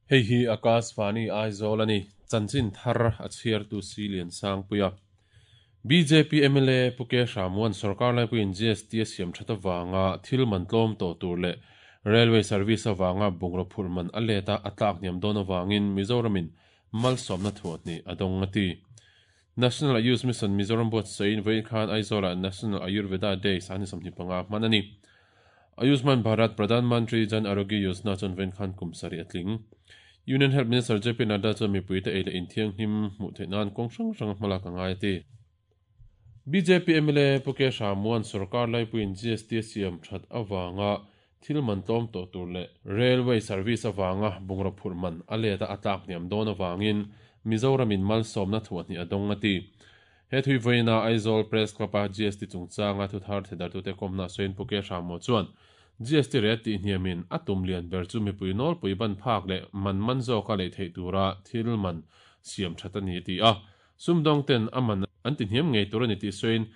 Hei hi Akashvani Aizawl a ni, chanchin thar a chhiartu Silian Sangpuia. Bjp mla Pu K Hramuan sorkar laipuiin GST a siam that avanga thil man tlawm tawh tur leh Railway service avanga bungraw phurh man a let a a tlak hniam dawn avangin Mizoramin malsawmna thuahhnih a dawng a ti. National Ayush Mission Mizoram buatsawiin vawiin khan Aizawlah National Ayurveda Day 25 hman a ni. Ayushman Bharat Pradhan Mantri Jan Arogya Yojana chuan vawiin khan kum sarih a tling. Union Health Minister JP Nadda chuan mipuite ei leh inthianghlim hmuh theih nan kawng hrang hranga hmalak a ngai a ti. Bjp mla Pu K Hramuan sorkar laipuiin GST a siam that avanga thil man tlawm tawh tur leh Railway service avanga bungraw phurh man a let a a tlak hniam dawn avangin Mizoramin malsawmna thuahhnih a dawng a ti. He thui vawiina Aizawl Press Club-a GST chungchanga thuthar thedartute kawmna sawiin Pu K Hrammaw chuan GST rate tih hniamin a tum lian ber chu mipui nawlpui ban phak leh man man zawka lei theih tura thil man siam that a ni a ti a. Sumdawngten a man an ti hniam ngei tur a ni tih sawiin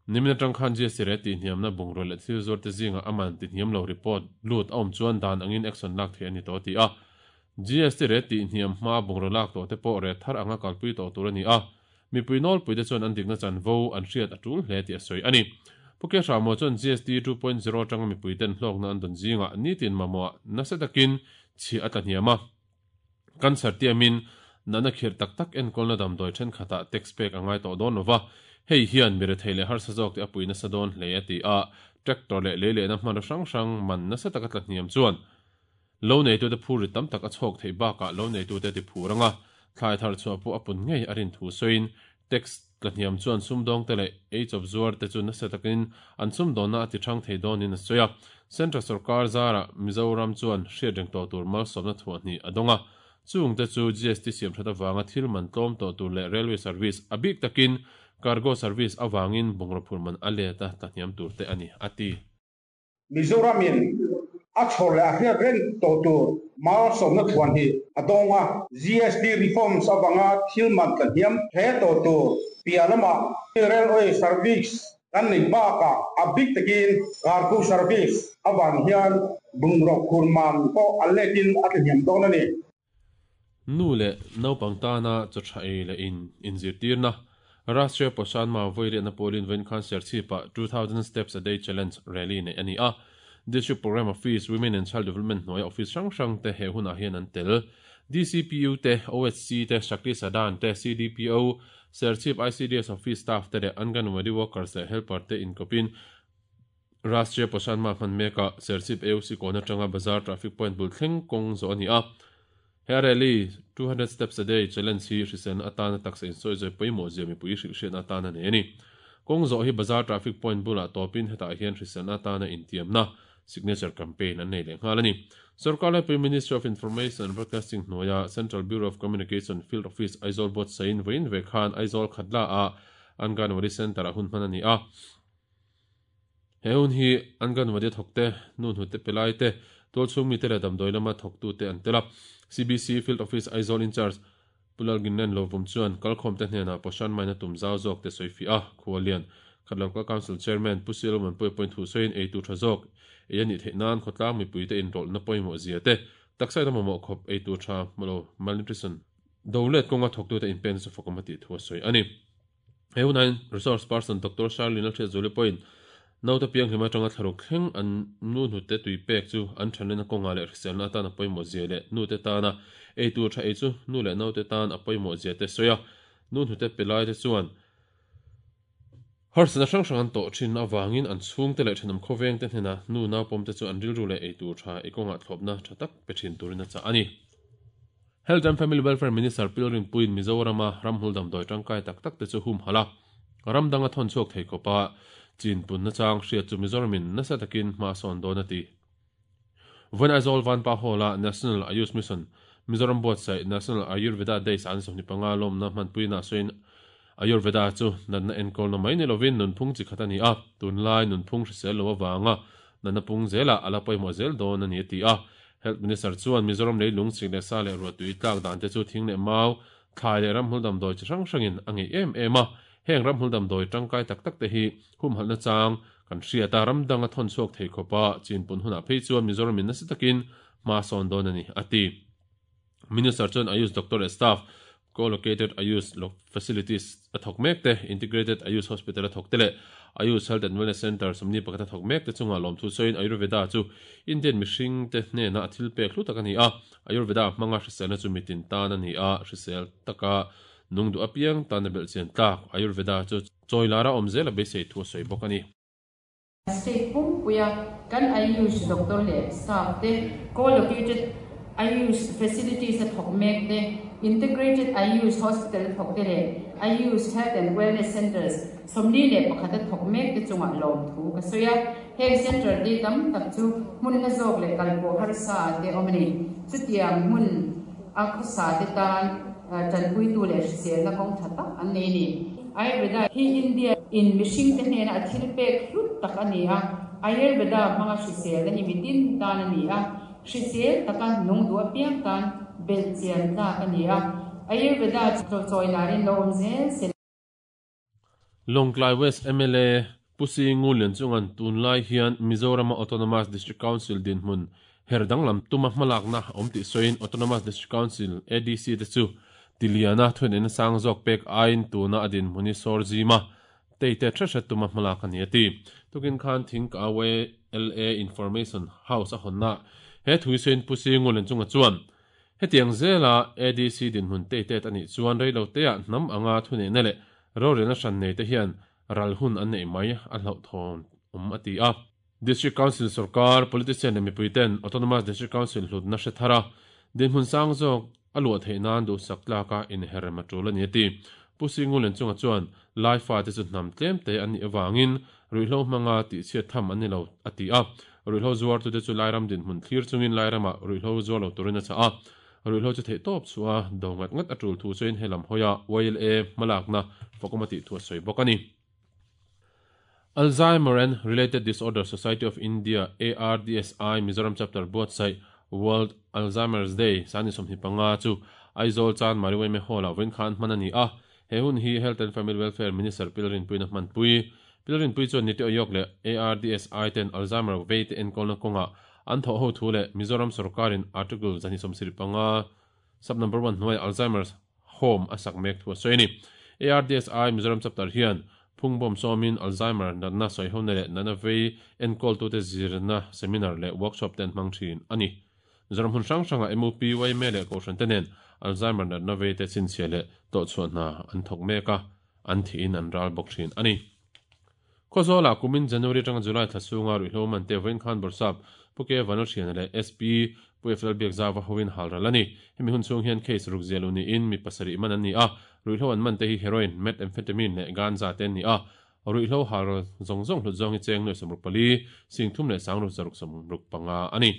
Nimin atang khan GST rate tihhniamna bungrua leh thil zuarte zingah a man tihhniam lo report lut a awm chuan dan angin action lak theih a ni tawh a ti a. GST rate tihhniam hmaa bungrua lak tawh te pawh rate thar anga kalpui tawh tur a ni a. Mipui nawlpuite chuan an dikna chanvo an hriat a tul hle tih a sawi a ni. Pu Kehramua chuan GST 2.0 atanga mipuiten hlawkna an dawn zingah nitin mamawh nasa takin chhiah a tla hniam a. Cancer tiamin natna khirh tak tak enkawlna damdawi thenkhatah tax pek a ngai tawh dawn lova, hei hian mi rethei leh harsa zawk te a pui nasa dawn hle a ti a, tractor leh lei lehna hmanraw hrang hrang man nasa taka tla hniam chuan lo neitute phurrit tam tak a chhawk theih bakah lo neitute ti phur anga thlai thar chhuah pawh a pun ngei a rin thu sawiin tax tla hniam chuan sumdawngte leh eichawp zuarte chu nasa takin an sumdawnna a ti thang thei dawnin a sawi a. Central sorkar zarah Mizoram chuan hriatreng tawh tur malsawmna thuahhnih a dawng a. Chungte chu GST siamthat avanga thil man tlawm tawh tur leh railway service, a bik takin cargo service avangin bungraw phur man a let a tla hniam tur te a ni, a ti. Mizoramin a chhawr leh a hriat reng tawh tur malsawmna thuan hi a dawng a. GST reforms avanga thil man tla hniam hle tawh tur piah lamah railway service kan neih bakah a bik takin cargo service avang hian bungraw khur man pawh a letin a tla hniam dawn a ni. Nu leh naupang tana chaw tha ei leh in inzirtirna, Rashtriya Poshan Maah Vawiliahna pawlin vawiin khan Serchhip-ah 2000 Steps a Day Challenge rally neih a ni a. District Programme Office, Women and Child Development hnuaia office hrang hrang te he hunah hian an tel. DCPU te, OHC te, Shakti Sadan te, CDPO, Serchhip ICDS Office staff te leh Anganwadi workers leh helper te inkawpin Rashtriya Poshan Maah hman mekah Serchhip AOC kawn atanga Bazar traffic point bul thleng kawng zawh a ni a. He rally, 200 Steps a Day Challenge hi hriselna atana taksa insawizawi pawimawh zia mipui hrilhhriatna atana nei a ni. Kawng zawh hi Bazar traffic point bulah tawpin hetah hian hriselna atana intiamna, signature campaign, an nei leh nghal a ni. Sorkar laipui Ministry of Information and Broadcasting hnuaia Central Bureau of Communication Field Office Aizawl buatsain vawiin ve khan Aizawl Khatla-ah Anganwadi Centre-ah hun hman a ni a. He hun hi Anganwadi a thawkte, nu hnute pe laite, tualchhung mite leh damdawi lama thawktute an tel a. CBC Field Office Aizawl Incharge Pu Lalginlen Lovum chuan kalkhawmte hnenah Poshan Maina tum zau zawk te sawi fiah a, Khualian, Khat Local Council Chairman Pu Sialawman Puia pawhin thu sawiin eitu tha zawk ei a nih theih nan khawtlang mipuite inrawlhna pawimawh zia te, taksa ina mamawh khawp eitu tha hmulo, malnutrition, do let kawnga thawktute inpekna chu fakawm a tih thu a sawi a ni. He hunain Resource Person Doctor Shirley Lalhriatzuali pawhin naute pianghlim atanga thlaruk thleng an nu hnute tui pek chu an thanlenna kawngah leh hriselna atan a pawimawh zia leh nute tana ei tur tha ei chu nu leh naute tan a pawimawh zia te sawi a. Nu hnute pe laite chuan harsatna hrang hrang an tawh thin avangin an chhungte leh thenawm khawvengte hnenah nu naupawmte chu an rilru leh ei tur tha ei kawngah thlawpna tha tak pe thin turin a chah a ni. Health and Family Welfare Minister Pilrin Puiin Mizorama ramhmul damdawi tangkai tak tak te chu humhalh a, ram danga thawn chhuak thei khawpa chin punna chang hriat chu Mizoramin nasa takin hma a sawn dawn a ti. Vawiin Aizawl Vanpa Hall-a National Ayush Mission Mizoram buatsaih National Ayurveda Day san 25 lawmna hmanpuina sawiin Ayurveda chu natna enkawlna mai ni lovin nunphung chi khat a ni a, tunlai nunphung hrisel lo avanga natna pung zelah a la pawimawh zel dawn a ni a ti a. Health Minister chuan Mizoram leilung chik leh sa leh ruahtui tlak dan te chu thing leh mau, thlai leh ramhmul damdawi chi hrang hrangin a ngeih em em a, heng ramhmul damdawi tangkai tak tak te hi humhalhna chang kan hriat a, ram danga thawn chhuak thei khawpa chinpun hunah phei chuan Mizoramin nasa takin hma sawn dawn a ni, a ti. Minister chuan Ayush doctor leh staff, co-located Ayush facilities a thawk mek te, integrated Ayush hospital a thawk te leh Ayush Health and Wellness Centre 21 a thawk mek te chungah lawmthu sawiin Ayurveda chu Indian mihring te hnena a thil pek hlu tak a ni a, Ayurveda hmanga hriselna chu mitin tan a ni a, hrisel taka nung duh apiang tan a belhchian tlak Ayurveda chu chawi lara awm zel a beisei thu a sawi bawk a ni. State pumpuia kan Ayush doctor leh staff te, co-located Ayush facilities a thawk mek te, integrated Ayush hospital a thawk te leh Ayush health and wellness centres 41 a thawk mek te chungah lawmthu ka sawi a. Heng centre te tam tak chu hmun hla zawk leh kalpawh harsa te awm a ni. Chutiang hmun a khawsa te tan tanpuitu leh hriselna kawng tha tak an nei a ni. Ayurveda hi India in mihring te hnena a thil pek hlut tak a ni a, Ayurveda hmanga hriselna hi mitin tan a ni a, hrisel taka nung duh apiang tan belh chian tlak a ni a, Ayurveda chu chawi larin lo awm zel se. Lawngtlai West mla Pu Singu Lianchunga'n tunlai hian Mizorama Autonomous District Council dinhmun her danglam tuma hmalakna awm tih sawiin Autonomous District Council, ADC, te chu tiliana thuneihna sang zawk pek aiin tuna a dinhmun hi sawr zima teite hre hre tuma hmalak a ni a ti. Tukin khan Thingkawe LA Information House a hawnna he thui sawiin Pu Singu Lianchunga chuan Hetiang zela ADC dinhmun teitet a nih chuan reiloteah hnam anga thuneihna leh rorelna hran neite hian ral hun an neih mai a hlauhthawn awm a ti a. District Council sorkar, politician leh mipuiten Autonomous District Council hlutna hre thar a, dinhmun sang zawk a luah theih nan duhsak tlaka inherrem a tul a ni a ti. Pu Singulen chunga chuan Lai fate chu hnam tlemte an nih avangin ruihhlo hmanga tihchhiat tham an ni lo a ti a. Ruihhlo zuartute chu Lairam dinhmun thlir chungin Lairamah ruihhlo zuar lo turin a chah a. Ruihhlo chu theihtawp chhuah a do ngat ngat a tul thu chuin helam hawia YLA hmalakna fakawm a tih thu a sawi bawk a ni. Alzheimer and Related Disorder Society of India, ARDSI, Mizoram Chapter buatsaih World Alzheimer's Day sani 25 chu Aizawl Chanmari Yma Hall-ah vawiin khan hman a ni a. He hun hi Health and Family Welfare Minister Pil Rinpuiin a hmanpui. Pil Rinpui chuan Niti Aayog leh ARDSI ten Alzheimer vei te enkawlna kawngah an thawh ho thu leh Mizoram sorkarin Article 275 Sub Number One hnuaiah Alzheimer's Home a sak mek thu a sawi a ni. ARDSI Mizoram Chapter hian phungbawm sawmin Alzheimer natna sawihona leh natna vei enkawltute zirna seminar leh workshop te an hmang thin a ni. Mizoram hmun hrang hrangah MUP, yma leh Kohhran te nen Alzheimer natna vei te chhinchhiah leh tawhchhuah hna an thawk mek a, an thihin an ral bawk thin a ni. Khawzawlah kumin January atanga July thla chhunga ruihhlo man te vawiin khan Bawrhsap Pu K Vanlalhriana leh SP Pu F Lalbiakzauva hoin hal ral a ni. Hemi hun chhung hian case ruk ziah lo niin mi pasarih man an ni a, ruihhlo an man te hi heroin, methamphetamine leh ganja te an ni a. Ruihhlo hal ral zawng zawng hlut zawng hi cheng nuai 64, sing thum leh sang ruk zaruk 65 a ni.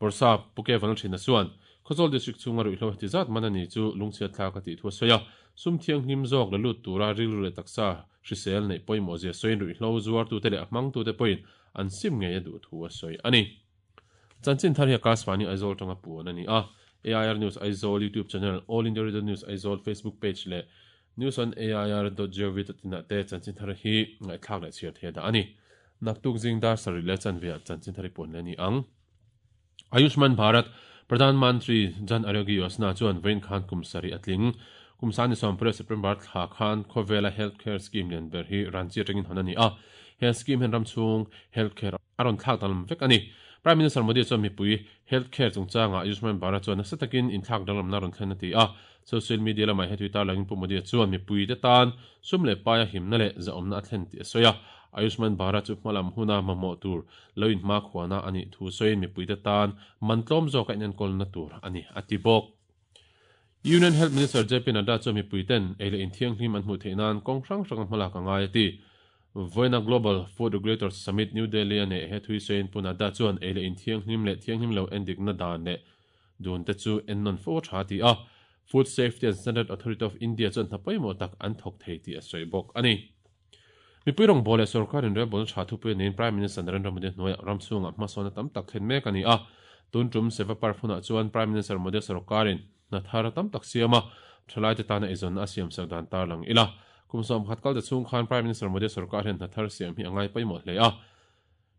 Bawrhsap Pu K Vanlalhriana chuan Khawzawl District chhunga ruihhlo heti zat man a ni chu lungchhiat thlak a tih thu a sawi a, sum thianghlim zawk la lut tura rilru leh taksa hrisel neih pawimawh zia sawiin ruihhlo zuartute leh a hmangtute pawhin an sim ngei a duh thu a sawi a ni. Chanchin thar hi Akashvani Aizawl tanga puan a ni a, AIR News Aizawl YouTube channel, All India Radio News Aizawl Facebook page leh News on AIR dot gov dot in ah te chanchin thar hi ngaihthlak leh chhiar thei a dah a ni. Naktuk zing dar sarih leh chanve ah chanchin thar hi puan leh a ni ang. Ayushman Bharat Pradhan Mantri Jan Arogya Yojana chuan vawiin khan kum sarih a tling. Kum sani sawmpariat September thla khan khawvela health care scheme lian ber hi Ranchi atangin hawn a ni a. He scheme hian ram chhung health care a rawn thlak danglam vek a ni. Prime Minister Modi chuan mipui health care chungchangah Ayushman Bharat chuan nasa takin inthlak danglamna a rawn thlen a ti a. Social media lamah he tui tarlangin Pu Modi-a chuan mipuite tan sum leh paia himna leh zahawmna a thlen tih a sawi a. Ayushman Bharat chu hmalam huna mamawh tur lo inhmakhuana a nih thu sawiin mipuite tan man tlawm zawka inenkawlna tur a ni a ti bawk. Union Health Minister JP Nadda chuan mipuiten ei leh inthianghlim an hmuh theih nan kawng hrang hranga hmalak a ngai a ti. Vawiina Global Food Regulators Summit New Delhi a neih he thui sawiin Pu Nadda chuan ei leh inthianghlim leh thianghlim lo endikna dan leh dun te chu ennawn fo a tha a ti a. Food Safety and Standard Authority of India chuan hna pawimawh tak an thawk thei tih a sawi bawk a ni. Mipui rawngbâwl leh sorkar inrelbawlna tha thupui a niin Prime Minister Narendra Modi hnuaiah ram chhungah hmasawnna tam tak thlen mek a ni a. Tun tum Seva Parv hunah chuan Prime Minister Modi sorkarin hna thar tam tak siam a, thalaite tana eizawnna a siamsak dan tarlang ila. Kum 11 kal ta chhung khan Prime Minister Modi sorkar hian hna thar siam hi a ngai pawimawh hle a.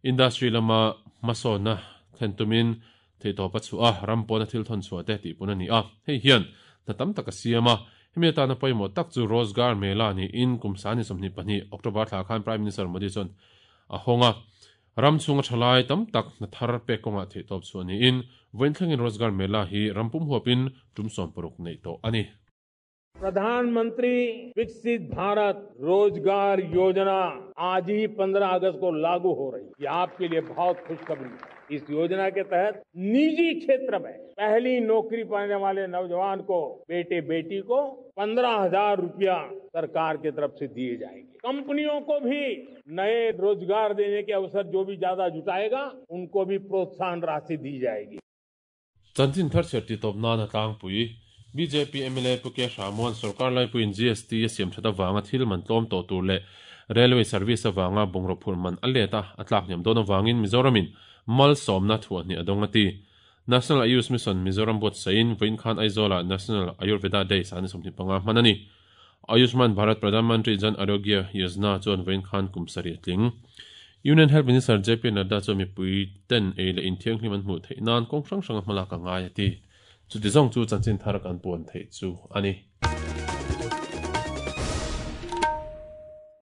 Industry lama hmasawnna thlen tumin. Theihtawp a chhuah a, ram pawna thil thawn chhuah te tih pun a ni a. Hei hian hna tam tak a siam a. Hemi atana pawimawh tak chu Rozgar Mela niin kum sani 22 October thla khan Prime Minister Modi chuan a hawng a. Ram chhunga thalai tam tak hna thar pek kawngah theihtawp chhuah niin vawiin thlengin Rozgar Mela hi ram pum huapin tum 60 neih tawh a ni. प्रधानमंत्री विकसित भारत रोजगार योजना आज ही 15 अगस्त को लागू हो रही है। ये आपके लिए बहुत खुशखबरी है। इस योजना के तहत निजी क्षेत्र में पहली नौकरी पाने वाले नौजवान को, बेटे बेटी को 15,000 रुपया सरकार की तरफ से दिए जाएंगे। कंपनियों को भी नए रोजगार देने के अवसर जो भी ज्यादा जुटाएगा, उनको भी प्रोत्साहन राशि दी जाएगी। Chanchin thar chhiar titawp nana tlangpui bjp mla Pu K Hramuan sorkar laipuiin GST a siam that avanga thil man tlawm tawh tur leh Railway service avanga bungraw phurh man a let a, a tlak hniam dawn avangin Mizoramin malsawmna thuahhnih a dawng a ti. National Ayush Mission Mizoram buatsaihin vawiin khan Aizawlah National Ayurveda Day sani 25 hman a ni. Ayushman Bharat Pradhan Mantri Jan Arogya Yojana chuan vawiin khan kum 7 a tling. Union Health Minister JP Nadda chuan mipui ten ei leh inthianghlim an hmuh theih nan kawng hrang hranga hmalak a ngai a ti. Chuti zawng chu chanchin thar kan puan theih chu a ni.